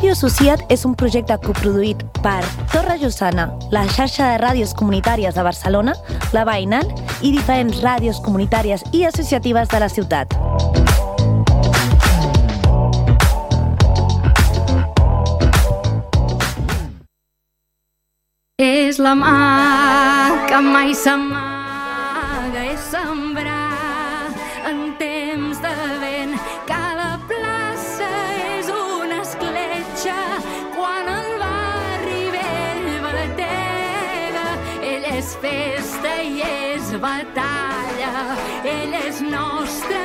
Ràdio Associat és un projecte coproduït per Torre Llossana, la xarxa de ràdios comunitàries de Barcelona, la Veïnal i diferents ràdios comunitàries i associatives de la ciutat. És la mà que mai s'amaga, és sembrar en temps de vent. Cada plaça és una escletxa quan el barri vell batega. Ell és festa i és batalla, ell és nostre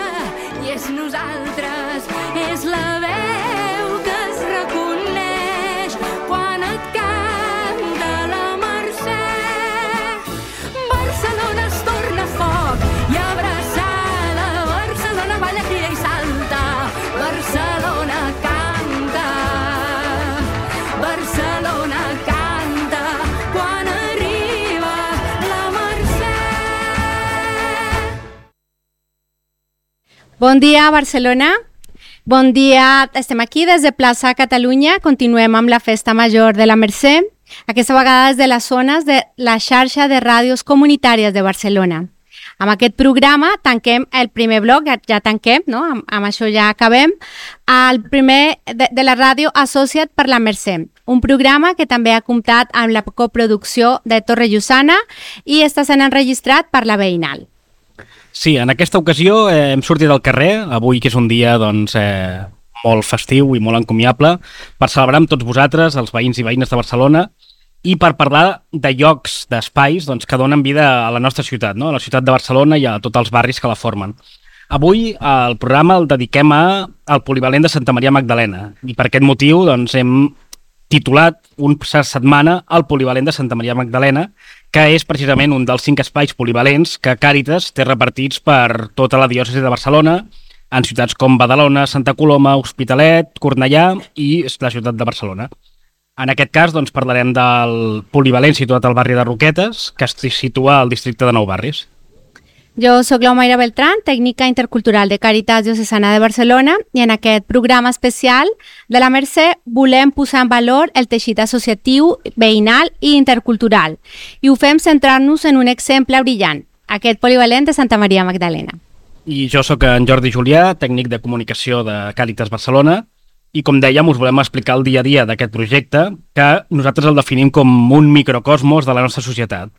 i és nosaltres. És la veu que es reconeix quan et canta la Mercè. Barcelona es torna foc i abraçada, Barcelona balla, crida i salta, Barcelona canta, Barcelona canta quan arriba la Mercè. Bon dia, Barcelona. Bon dia, estem aquí des de Plaça Catalunya, continuem amb la Festa Major de la Mercè, aquesta vegada des de les zones de la xarxa de ràdios comunitàries de Barcelona. Amb aquest programa tanquem el primer bloc, ja tanquem, no? Amb això ja acabem, el primer de la ràdio Associat per la Mercè, un programa que també ha comptat amb la coproducció de Torre Llossana i està sent enregistrat per la Veïnal. Sí, en aquesta ocasió hem sortit al carrer, avui que és un dia molt festiu i molt encomiable, per celebrar amb tots vosaltres, els veïns i veïnes de Barcelona, i per parlar de llocs, d'espais que donen vida a la nostra ciutat, no? A la ciutat de Barcelona i a tots els barris que la formen. Avui el programa el dediquem al polivalent de Santa Maria Magdalena, i per aquest motiu hem titulat una setmana al polivalent de Santa Maria Magdalena, que és precisament un dels 5 espais polivalents que Càritas té repartits per tota la diòcesi de Barcelona, en ciutats com Badalona, Santa Coloma, Hospitalet, Cornellà i la ciutat de Barcelona. En aquest cas parlarem del polivalent situat al barri de Roquetes, que es situa al districte de Nou Barris. Jo sóc l'Omaira Beltrán, tècnica intercultural de Càritas Diocesana de Barcelona, i en aquest programa especial de la Mercè volem posar en valor el teixit associatiu, veïnal i intercultural. I ho fem centrant-nos en un exemple brillant, aquest polivalent de Santa Maria Magdalena. I jo sóc en Jordi Julià, tècnic de comunicació de Càritas Barcelona, i com dèiem us volem explicar el dia a dia d'aquest projecte, que nosaltres el definim com un microcosmos de la nostra societat.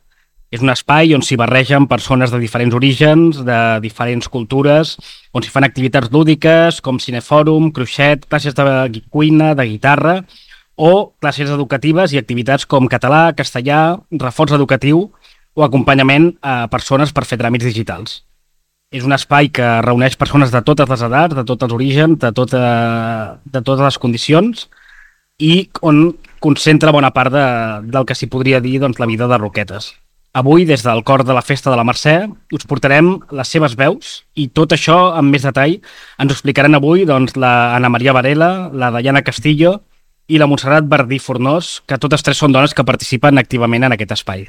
És un espai on s'hi barregen persones de diferents orígens, de diferents cultures, on s'hi fan activitats lúdiques com cinefòrum, cruixet, classes de cuina, de guitarra, o classes educatives i activitats com català, castellà, reforç educatiu o acompanyament a persones per fer tràmits digitals. És un espai que reuneix persones de totes les edats, de tots els orígens, de totes les condicions, i on concentra bona part del que s'hi podria dir la vida de Roquetes. Avui, des del cor de la Festa de la Mercè, us portarem les seves veus i tot això amb més detall ens ho explicaran avui la Ana Maria Varela, la Dayana Castillo i la Montserrat Verdí Fornós, que totes tres són dones que participen activament en aquest espai.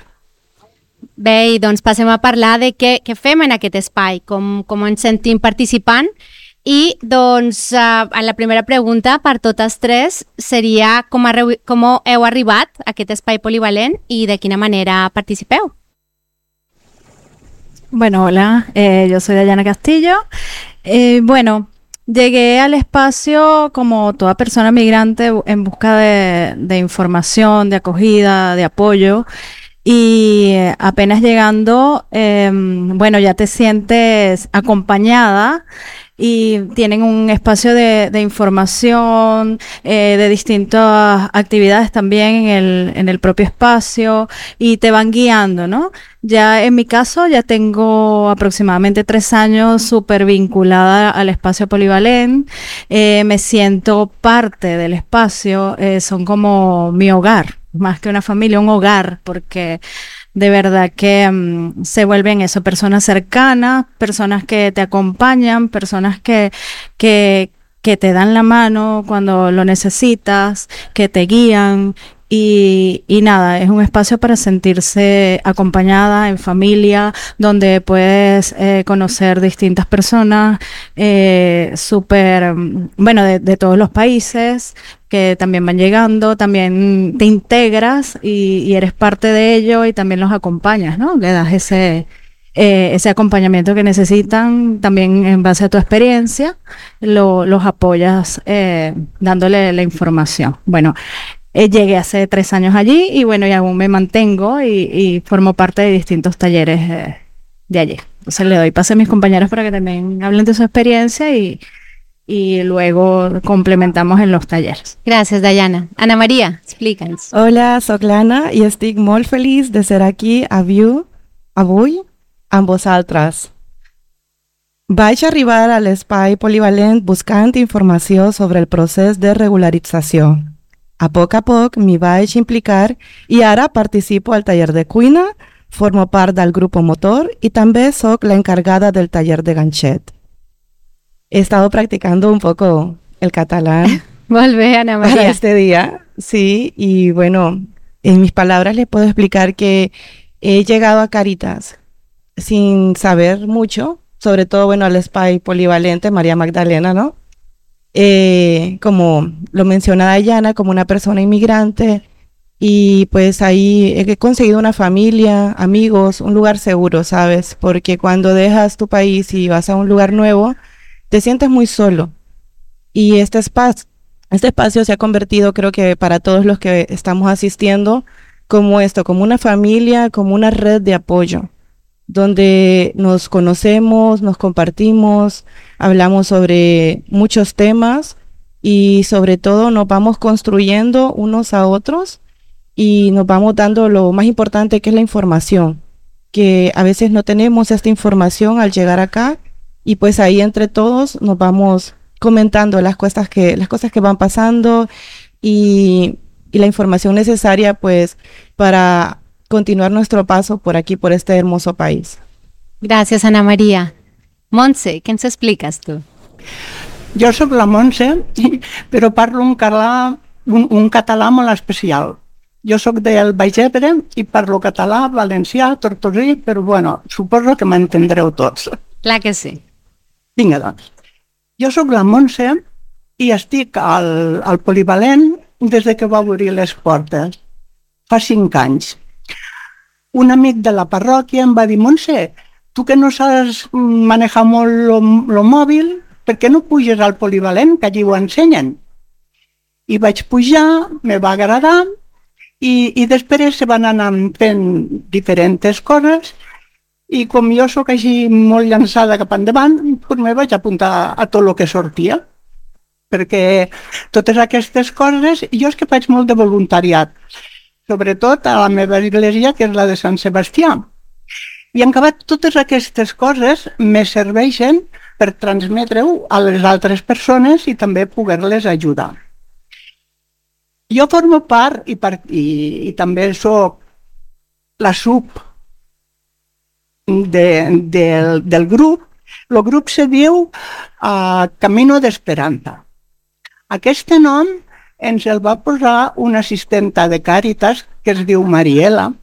Bé, doncs passem a parlar de què fem en aquest espai, com ens sentim participant. I doncs la primera pregunta per totes tres seria com heu arribat a aquest espai polivalent y de quina manera participeu. Bueno, hola, yo soy Dayana Castillo. Llegué al espacio como toda persona migrante en busca de información, de acogida, de apoyo. Y apenas llegando, ya te sientes acompañada y tienen un espacio de información, de distintas actividades también en el propio espacio y te van guiando, ¿no? Ya en mi caso ya tengo aproximadamente 3 años súper vinculada al espacio polivalent, me siento parte del espacio, son como mi hogar, más que una familia, un hogar, porque de verdad que se vuelven eso, personas cercanas, personas que te acompañan, personas que te dan la mano cuando lo necesitas, que te guían, Y nada, es un espacio para sentirse acompañada en familia, donde puedes conocer distintas personas, de todos los países que también van llegando, también te integras y eres parte de ello y también los acompañas, ¿no? Le das ese acompañamiento que necesitan, también en base a tu experiencia, los apoyas dándole la información. Bueno, llegué hace 3 años allí y bueno, y aún me mantengo y formo parte de distintos talleres de allí. Entonces le doy pase a mis compañeros para que también hablen de su experiencia y luego complementamos en los talleres. Gràcies, Dayana. Ana Maria, explica'ns. Hola, soc l'Anna i estic molt feliç de ser aquí avui amb vosaltres. Vaig arribar a l'espai polivalent buscant informació sobre el procés de regularització. A poc m'hi vaig implicar i ara participo al taller de cuina, formo part del grup motor y también soy la encargada del taller de ganchет. He estado practicando un poco el catalán. Molt bé, Ana Maria. Para este día, sí, y bueno, en mis palabras les puedo explicar que he llegado a Caritas sin saber mucho, sobre todo, bueno, al espai polivalente María Magdalena, ¿no? Como lo menciona Dayana, como una persona inmigrante, y pues ahí he conseguido una familia, amigos, un lugar seguro, ¿sabes? Porque cuando dejas tu país y vas a un lugar nuevo, te sientes muy solo. Y este espacio se ha convertido, creo que para todos los que estamos asistiendo, como esto, como una familia, como una red de apoyo, donde nos conocemos, nos compartimos, hablamos sobre muchos temas y sobre todo nos vamos construyendo unos a otros y nos vamos dando lo más importante, que es la información, que a veces no tenemos esta información al llegar acá y pues ahí entre todos nos vamos comentando las cosas que van pasando y la información necesaria pues para continuar nuestro paso por aquí, por este hermoso país. Gràcies, Ana Maria. Montse, què ens expliques tu? Jo sóc la Montse, però parlo un català molt especial. Jo sóc del Baix Ebre i parlo català, valencià, tortosí, però bueno, suposo que m'entendreu tots. Clar que sí. Vinga, doncs. Jo sóc la Montse i estic al polivalent des que va obrir les portes, fa 5 anys. Un amic de la parròquia em va dir: Montse, tu que no saps manejar molt el mòbil, per què no puges al polivalent, que allí ho ensenyen? I vaig pujar, me va agradar, i després se van anar fent diferents coses, i com jo sóc així molt llançada cap endavant, doncs me vaig apuntar a tot el que sortia, perquè totes aquestes coses, jo és que faig molt de voluntariat, sobretot a la meva església, que és la de Sant Sebastià. I en acabat, totes aquestes coses me serveixen per transmetre-ho a les altres persones i també poder-les ajudar. Jo formo part i també soc la sub del grup. El grup se diu Camino d'Esperança. Aquest nom ens el va posar una assistenta de Càritas que es diu Mariela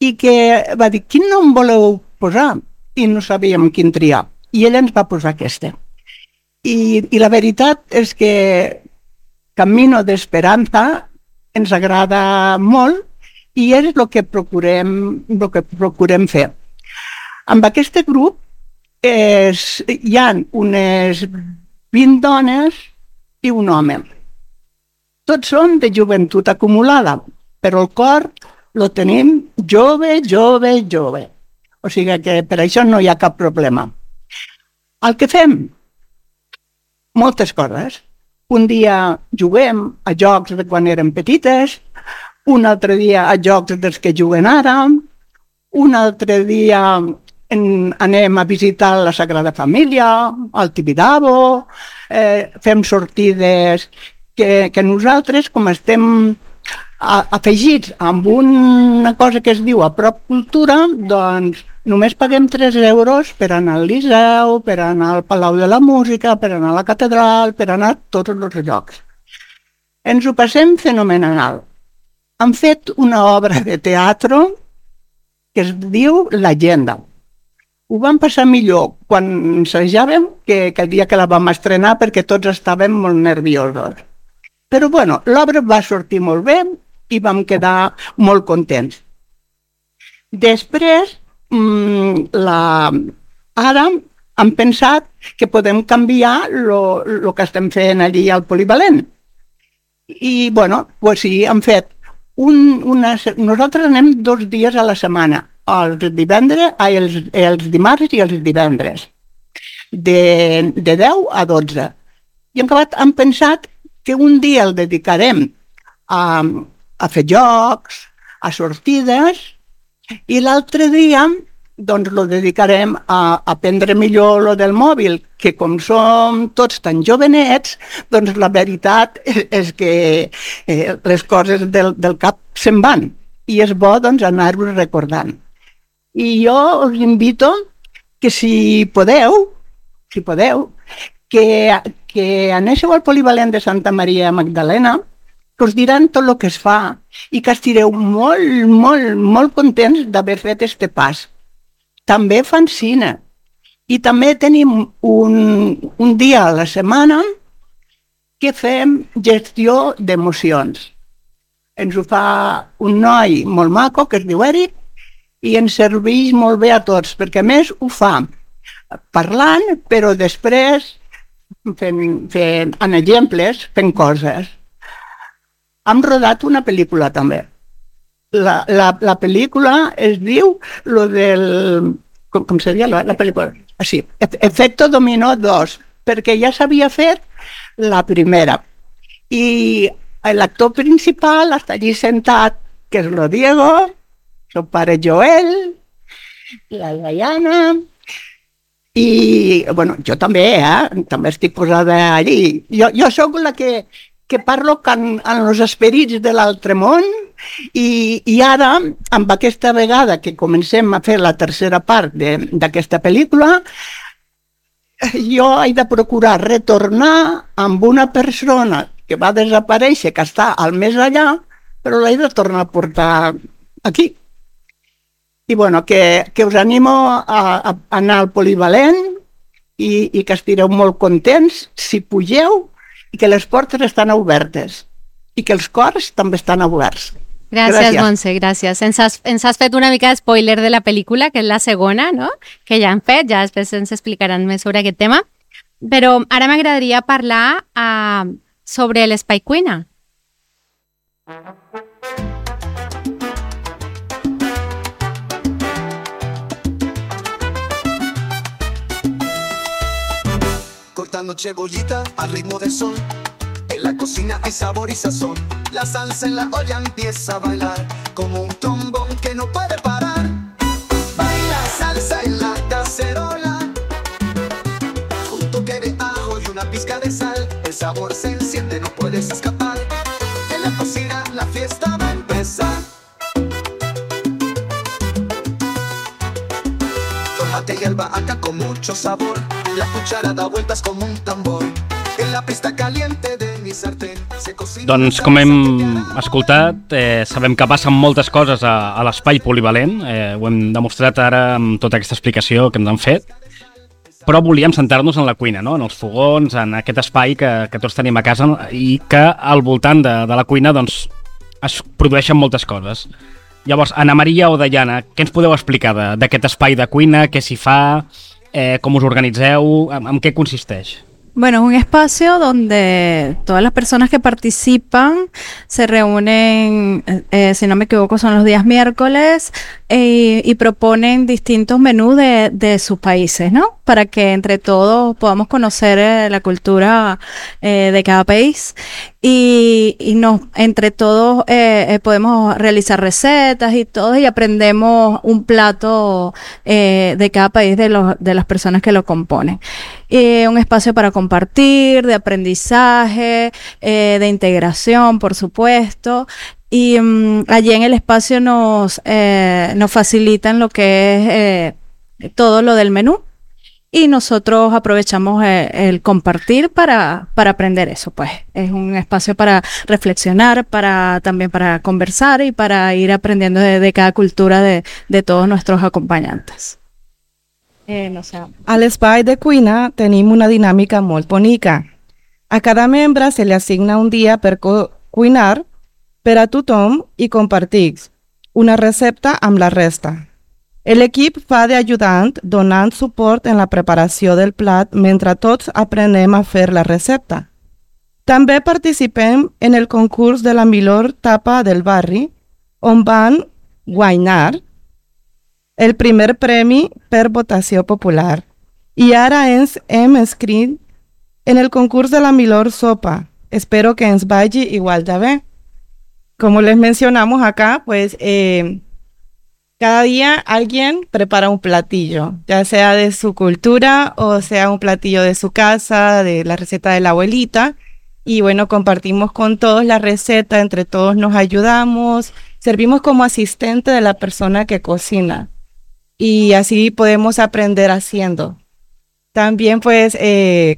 i que va dir: quin nom voleu posar? I no sabíem quin triar. I ella ens va posar aquesta. I la veritat és que Camino d'Esperança ens agrada molt i és el que procurem fer. Amb aquest grup hi ha unes 20 dones i un home. Tots són de joventut acumulada, però el cor lo tenim jove. O sigui que per això no hi ha cap problema. El que fem? Moltes coses. Un dia juguem a jocs de quan érem petites, un altre dia a jocs dels que juguen ara, un altre dia anem a visitar la Sagrada Família, al Tibidabo, fem sortides que nosaltres, com estem afegits amb una cosa que es diu a prop cultura, doncs només paguem 3 euros per anar al Liceu, per anar al Palau de la Música, per anar a la Catedral, per anar a tots els llocs. Ens ho passem fenomenal. han fet una obra de teatre que es diu L'Agenda. Ho vam passar millor quan ensajàvem que el dia que la vam estrenar perquè tots estàvem molt nerviosos. Però bueno, l'obra va sortir molt bé i vam quedar molt contents. Després, ara hem pensat que podem canviar el que estem fent allí al polivalent. I bueno, pues sí, hem fet nosaltres anem 2 dies a la setmana, els dimarts i els divendres, de 10 a 12. I hem pensat que un dia el dedicarem a fer jocs, a sortides, i l'altre dia doncs lo dedicarem a aprendre millor lo del mòbil, que com som tots tan jovenets, doncs la veritat és que les coses del cap se'n van i és bo doncs anar-ho recordant. I jo us invito que si podeu, que anéssiu al polivalent de Santa Maria Magdalena, que us diran tot el que es fa i que estireu molt, molt, molt contents d'haver fet este pas. També fan cine i també tenim un dia a la setmana que fem gestió d'emocions. Ens ho fa un noi molt maco que es diu Eric i ens serveix molt bé a tots, perquè a més ho fa parlant, però després fent exemples, fent coses. Hem rodat una pel·lícula també. La pel·lícula es diu lo del... Com seria la pel·lícula? Sí, Efecto Dominó 2, perquè ja s'havia fet la primera. I l'actor principal està allí sentat, que és lo Diego, el pare Joel, la Diana, i bueno, jo també, també estic posada allí. Jo sóc la que parlo en els esperits de l'altre món i ara, amb aquesta vegada que comencem a fer la tercera part d'aquesta pel·lícula, jo he de procurar retornar amb una persona que va desaparèixer, que està al més allà, però l'he de tornar a portar aquí. I bueno, que us animo a anar al polivalent i que estireu molt contents si pugeu, i que les portes estan obertes i que els cors també estan oberts. Gràcies, Montse, gràcies. Ens has fet una mica de spoiler de la pel·lícula, que és la segona, no? Que ja han fet, ja després ens explicaran més sobre aquest tema. Però ara m'agradaria parlar sobre l'Espai Cuina. Cortando cebollita al ritmo del sol. En la cocina hay sabor y sazón. La salsa en la olla empieza a bailar como un trombón que no puede parar. Baila salsa en la cacerola, un toque de ajo y una pizca de sal. El sabor se enciende, no puedes escapar. En la cocina la fiesta va a empezar. Tomate y albahaca con mucho sabor. La cuchara da vueltas como un tambor. En la pista caliente de mi sartén se cocina... Doncs com hem escoltat, sabem que passen moltes coses a l'espai polivalent. Ho hem demostrat ara amb tota aquesta explicació que ens han fet. Però volíem centrar-nos en la cuina, no? En els fogons, en aquest espai que tots tenim a casa i que al voltant de la cuina doncs, es produeixen moltes coses. Llavors, Ana Maria o Diana, què ens podeu explicar d'aquest espai de cuina, què s'hi fa, com us organitzeu, en qué consisteix? Bueno, es un espacio donde todas las personas que participan se reúnen, si no me equivoco, son los días miércoles y proponen distintos menús de sus países, ¿no? Para que entre todos podamos conocer la cultura de cada país y entre todos podemos realizar recetas y todo y aprendemos un plato de cada país de las personas que lo componen. Un espacio para compartir, de aprendizaje, de integración, por supuesto. Y allí en el espacio nos facilitan lo que es todo lo del menú. y nosotros aprovechamos el compartir para aprender eso, pues. Es un espacio para reflexionar, también para conversar y para ir aprendiendo de cada cultura de todos nuestros acompañantes. No sé. A l'espai de cuina tenim una dinàmica molt bonica. A cada membre se li assigna un dia per cuinar per a tothom i compartir una recepta amb la resta. L'equip fa d'ajudant donant suport en la preparació del plat mentre tots aprenem a fer la recepta. També participem en el concurs de la millor tapa del barri, on van guanyar el primer premi per votació popular. I ara ens hem inscrit en el concurs de la millor sopa. Espero que ens vagi igual de bé. Como les mencionamos acá, pues cada día alguien prepara un platillo, ya sea de su cultura o sea un platillo de su casa, de la receta de la abuelita. Y bueno, compartimos con todos la receta, entre todos nos ayudamos, servimos como asistente de la persona que cocina. Y así podemos aprender haciendo. También, pues,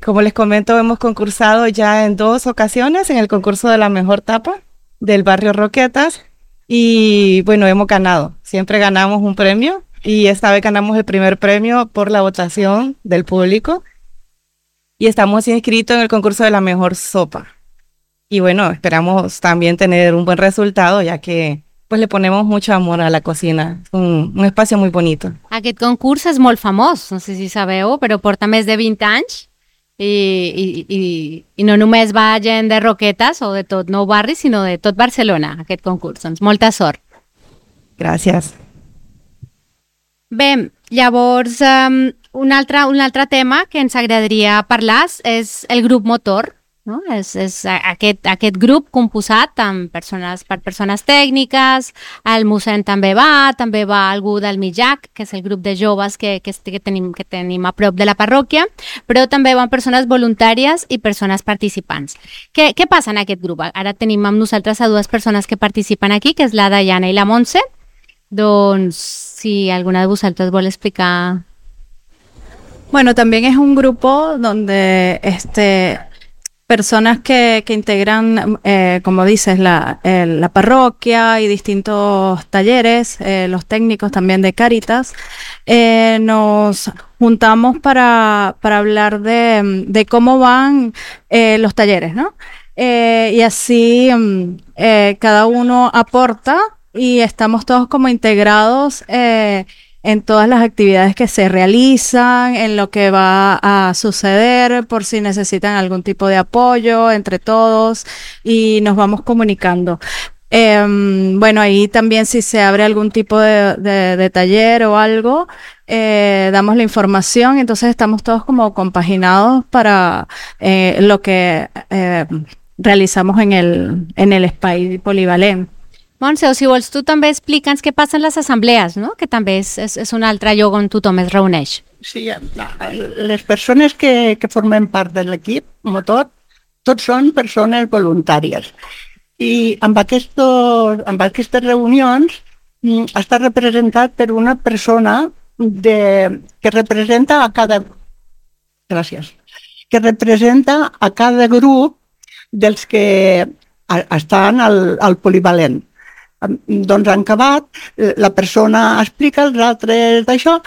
como les comento, hemos concursado ya en 2 ocasiones en el concurso de la mejor tapa del barrio Roquetas. Y bueno, hemos ganado. Siempre ganamos un premio. Y esta vez ganamos el primer premio por la votación del público. Y estamos inscritos en el concurso de la mejor sopa. Y bueno, esperamos también tener un buen resultado, ya que pues le ponemos mucho amor a la cocina. Es un espacio muy bonito. Aquest concurs és molt famós, no sé si sabeu, però porta més de 20 anys i no només va gent de Roquetes o de tot Nou Barri, sinó de tot Barcelona, aquest concurs. Doncs molta sort. Gràcies. Bé, llavors un altre tema que ens agradaria parlar és el grup motor. No? És aquest grup composat per persones tècniques, el mossèn també va algú del Mijac, que és el grup de joves que tenim a prop de la parròquia, però també van persones voluntàries i persones participants. Què passa en aquest grup? Ara tenim amb nosaltres a 2 persones que participen aquí, que és la Dayana i la Montse. Doncs si alguna de vosaltres vol explicar. Bueno, también es un grupo donde personas que integran, como dices, la parroquia y distintos talleres, los técnicos también de Cáritas, nos juntamos para hablar de cómo van los talleres, ¿no? Y así cada uno aporta y estamos todos como integrados en todas las actividades que se realizan, en lo que va a suceder, por si necesitan algún tipo de apoyo entre todos y nos vamos comunicando. Bueno, ahí también si se abre algún tipo de taller o algo, damos la información, entonces estamos todos como compaginados para lo que realizamos en el espai polivalent. Montse, o si vols, tu també explica'ns què passa en les assemblees, no? Que també és un altre lloc on tothom es reuneix. Sí, les persones que formen part de l'equip motor, tots són persones voluntàries. I amb aquestes reunions està representat per una persona que representa a cada... Gràcies. Que representa a cada grup dels que estan al polivalent. Doncs han acabat, la persona explica, els altres d'això,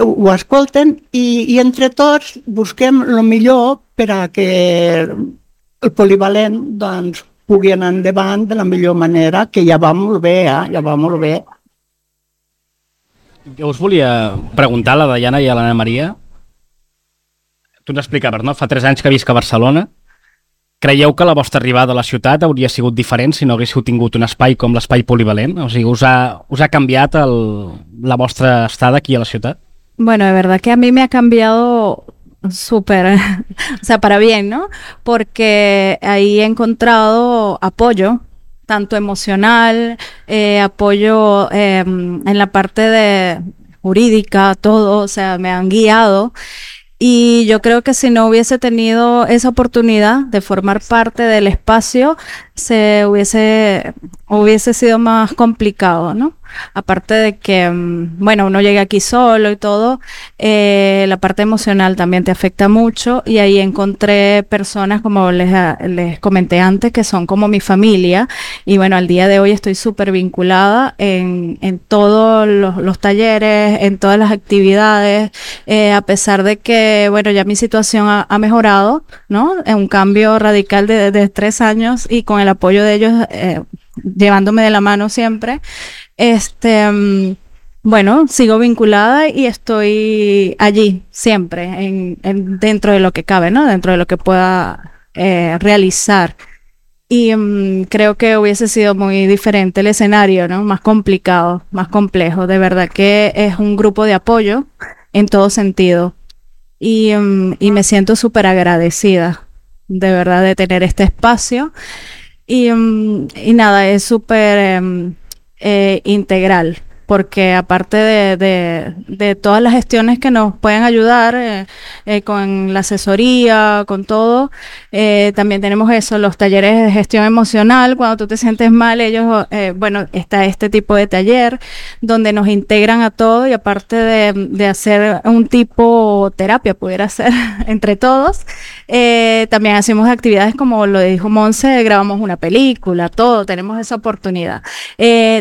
ho escolten i entre tots busquem el millor per a que el polivalent doncs, pugui anar endavant de la millor manera, que ja va molt bé, ja va molt bé. Jo us volia preguntar a la Dayana i a l'Anna Maria. Tu ens explicaves, no? Fa 3 anys que visc a Barcelona. Creieu que la vostra arribada a la ciutat hauria sigut diferent si no haguéssiu tingut un espai com l'espai polivalent? O sigui, us ha canviat la vostra estada aquí a la ciutat? Bueno, de verdad que a mí me ha cambiado súper, o sea, para bien, ¿no? Porque ahí he encontrado apoyo, tanto emocional, apoyo en la parte jurídica, todo, o sea, me han guiado. Y yo creo que si no hubiese tenido esa oportunidad de formar parte del espacio, hubiese sido más complicado, ¿no? Aparte de que, bueno, uno llega aquí solo y todo, la parte emocional también te afecta mucho, y ahí encontré personas, como les comenté antes, que son como mi familia, y bueno, al día de hoy estoy súper vinculada en todos los talleres, en todas las actividades, a pesar de que, bueno, ya mi situación ha mejorado, ¿no? Es un cambio radical de 3 años, y con el apoyo de ellos, llevándome de la mano siempre. Bueno, sigo vinculada y estoy allí siempre, dentro de lo que cabe, ¿no? Dentro de lo que pueda realizar. Y creo que hubiese sido muy diferente el escenario, ¿no? Más complicado, más complejo. De verdad que es un grupo de apoyo en todo sentido. Y me siento súper agradecida, de verdad, de tener este espacio. Y nada, es súper integral, porque aparte de todas las gestiones que nos pueden ayudar con la asesoría, con todo, también tenemos los talleres de gestión emocional. Cuando tú te sientes mal, ellos, bueno, está este tipo de taller donde nos integran a todo, y aparte de hacer un tipo terapia, pudiera ser entre todos, también hacemos actividades como lo dijo Monse, grabamos una película, todo, tenemos esa oportunidad.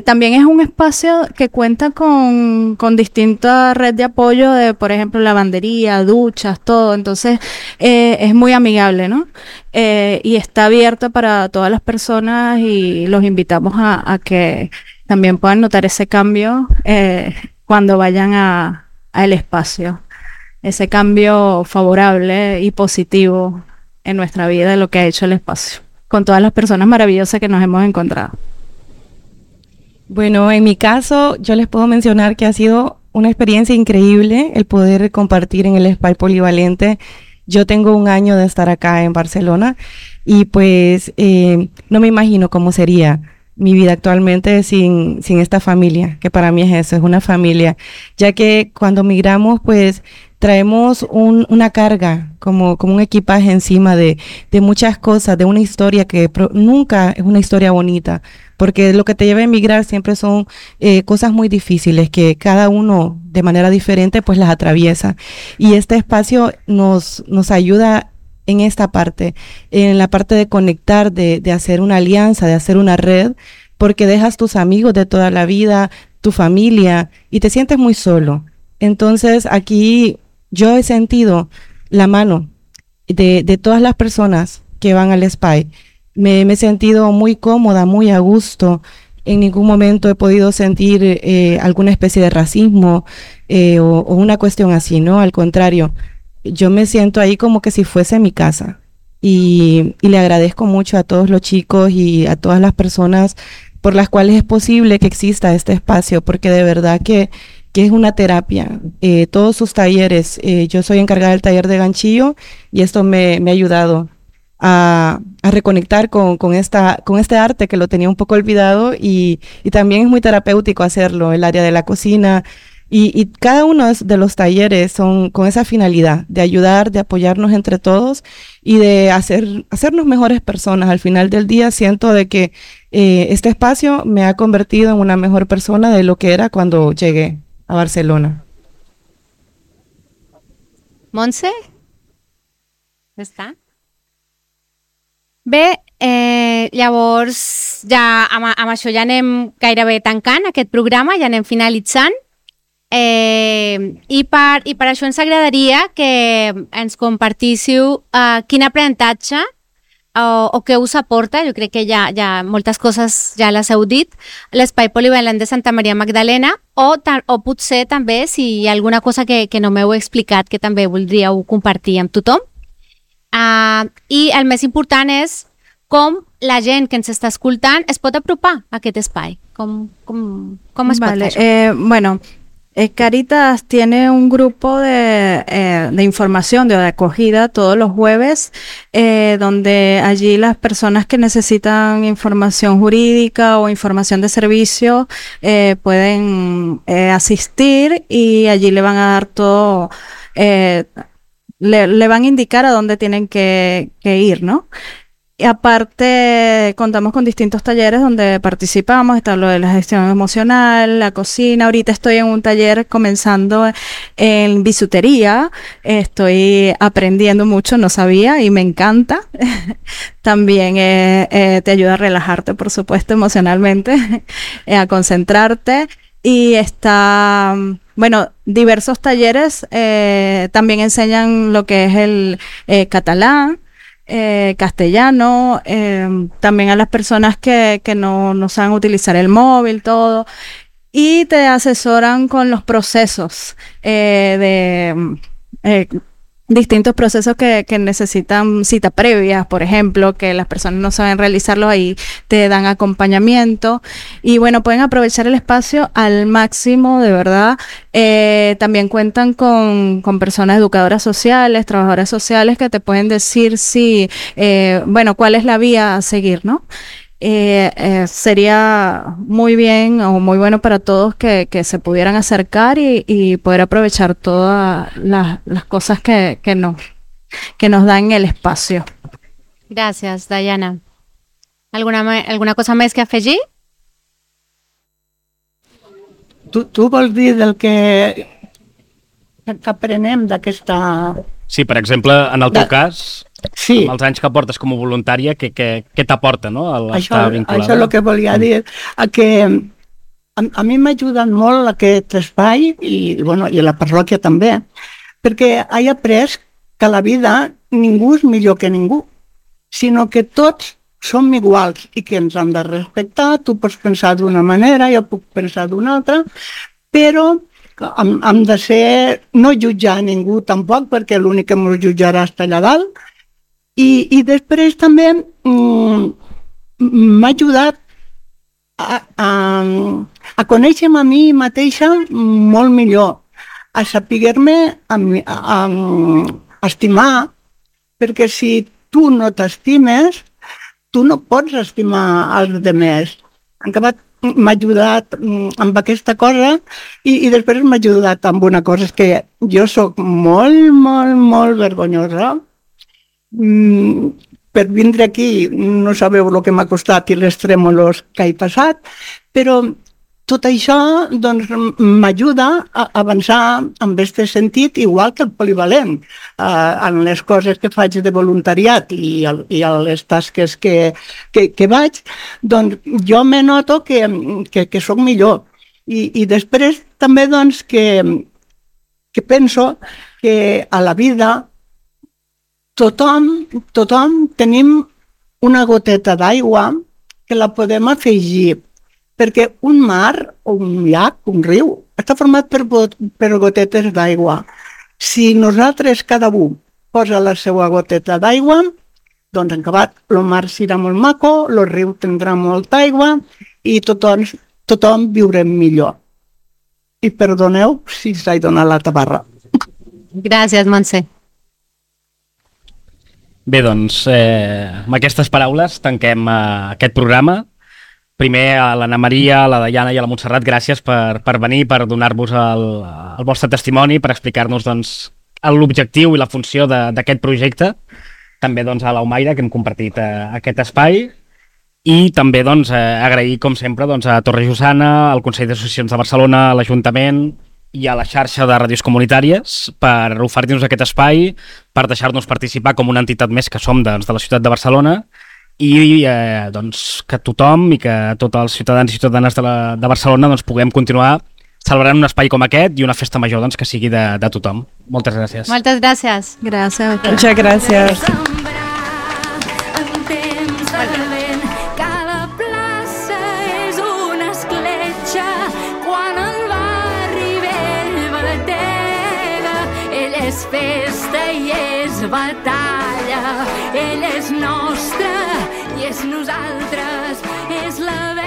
También es un espacio que cuenta con distintas redes de apoyo, por ejemplo, lavandería, duchas, todo. Entonces, es muy amigable, ¿no? Y está abierta para todas las personas, y los invitamos a que también puedan notar ese cambio cuando vayan al espacio. Ese cambio favorable y positivo en nuestra vida de lo que ha hecho el espacio, con todas las personas maravillosas que nos hemos encontrado. Bueno, en mi caso, yo les puedo mencionar que ha sido una experiencia increíble el poder compartir en el Espai Polivalente. Yo tengo 1 año de estar acá en Barcelona, y pues no me imagino cómo sería mi vida actualmente sin esta familia, que para mí es eso, es una familia, ya que cuando migramos, pues traemos una carga, como un equipaje encima de muchas cosas, de una historia que nunca es una historia bonita, porque lo que te lleva a emigrar siempre son cosas muy difíciles que cada uno de manera diferente pues las atraviesa, y este espacio nos ayuda en esta parte, en la parte de conectar, de hacer una alianza, de hacer una red, porque dejas tus amigos de toda la vida, tu familia, y te sientes muy solo. Entonces aquí yo he sentido la mano de todas las personas que van al Espai. Me he sentido muy cómoda, muy a gusto. En ningún momento he podido sentir alguna especie de racismo o una cuestión así, ¿no? Al contrario, yo me siento ahí como que si fuese mi casa. Y le agradezco mucho a todos los chicos y a todas las personas por las cuales es posible que exista este espacio, porque de verdad que es una terapia. Todos sus talleres, yo soy encargada del taller de ganchillo, y esto me ha ayudado a reconectar con este arte que lo tenía un poco olvidado, y también es muy terapéutico hacerlo, el área de la cocina, y cada uno de los talleres son con esa finalidad de ayudar, de apoyarnos entre todos y de hacernos mejores personas. Al final del día siento de que este espacio me ha convertido en una mejor persona de lo que era cuando llegué a Barcelona. Montse? Està? Bé, llavors ja amb això ja anem gairebé tancant aquest programa, ja anem finalitzant. I per això ens agradaria que ens compartíssiu quin aprenentatge o què us aporta. Jo crec que ja moltes coses ja les heu dit, l'Espai Polivalent de Santa Maria Magdalena, o potser també si hi ha alguna cosa que no m'heu explicat que també voldríeu compartir amb tothom. I el més important és com la gent que ens està escoltant es pot apropar a aquest espai. Com es pot fer això? Bueno, Caritas tiene un grupo de información, de acogida todos los jueves, donde allí las personas que necesitan información jurídica o información de servicio pueden asistir, y allí le van a dar todo le van a indicar a dónde tienen que ir, ¿no? Y aparte, contamos con distintos talleres donde participamos. Está lo de la gestión emocional, la cocina. Ahorita estoy en un taller comenzando en bisutería. Estoy aprendiendo mucho, no sabía y me encanta. También te ayuda a relajarte, por supuesto, emocionalmente, a concentrarte. Y está, bueno, diversos talleres también enseñan lo que es el catalán, castellano, también a las personas que no saben utilizar el móvil, todo, y te asesoran con los procesos distintos procesos que necesitan cita previa, por ejemplo, que las personas no saben realizarlo, ahí te dan acompañamiento y bueno, pueden aprovechar el espacio al máximo, de verdad. También cuentan con personas educadoras sociales, trabajadoras sociales que te pueden decir si, bueno, cuál es la vía a seguir, ¿no? Sería muy bien o muy bueno para todos que se pudieran acercar y poder aprovechar todas las cosas que nos dan el espacio. Gràcies, Diana. Alguna cosa més que afegir? Tu vols dir del que aprenem d'aquesta... Sí, per exemple, en el teu cas, sí, amb els anys que portes com a voluntària, què t'aporta, no? Estar vinculada? Això és el que volia dir, que a mi m'ha ajudat molt aquest espai i la parròquia també, perquè he après que la vida ningú és millor que ningú, sinó que tots som iguals i que ens hem de respectar. Tu pots pensar d'una manera, jo puc pensar d'una altra, però hem de ser, no jutjar a ningú tampoc, perquè l'únic que ens jutjarà està allà dalt. I després també m'ha ajudat a conèixer-me a mi mateixa molt millor, a saber-me estimar, perquè si tu no t'estimes, tu no pots estimar els altres. En acabat, m'ha ajudat amb aquesta cosa i després m'ha ajudat amb una cosa, és que jo sóc molt, molt, molt vergonyosa. Per vindre aquí no sabeu el que m'ha costat i les trèmolos que he passat, però tot això doncs, m'ajuda a avançar en aquest sentit, igual que el polivalent, en les coses que faig de voluntariat i a les tasques que vaig, doncs jo me noto que sóc millor. I després també doncs, que penso que a la vida tothom tenim una goteta d'aigua que la podem afegir, perquè un mar o un llac, un riu, està format per gotetes d'aigua. Si nosaltres, cada un, posa la seva goteta d'aigua, doncs en acabat el mar serà molt maco, el riu tindrà molta aigua i tothom viurem millor. I perdoneu si s'ha donat la tabarra. Gràcies, Montse. Bé, doncs, amb aquestes paraules tanquem aquest programa. Primer a l'Anna Maria, a la Diana i a la Montserrat, gràcies per venir, per donar-vos el vostre testimoni, per explicar-nos doncs, l'objectiu i la funció d'aquest projecte. També doncs, a l'Aumaire, que hem compartit aquest espai. I també doncs, agrair, com sempre, doncs, a Torre Jussana, al Consell d'Associacions de Barcelona, a l'Ajuntament i a la xarxa de ràdios comunitàries per oferir-nos aquest espai, per deixar-nos participar com una entitat més que som de la ciutat de Barcelona. I doncs, que tothom i que tots els ciutadans i ciutadanes de Barcelona doncs, puguem continuar celebrant un espai com aquest i una festa major doncs, que sigui de tothom. Moltes gràcies. Moltes gràcies. Gràcies. Muchas gracias. Cada plaça és una escletxa, quan el barri vell batega, ell és festa i és batalla, ell és nostre i és nosaltres, és la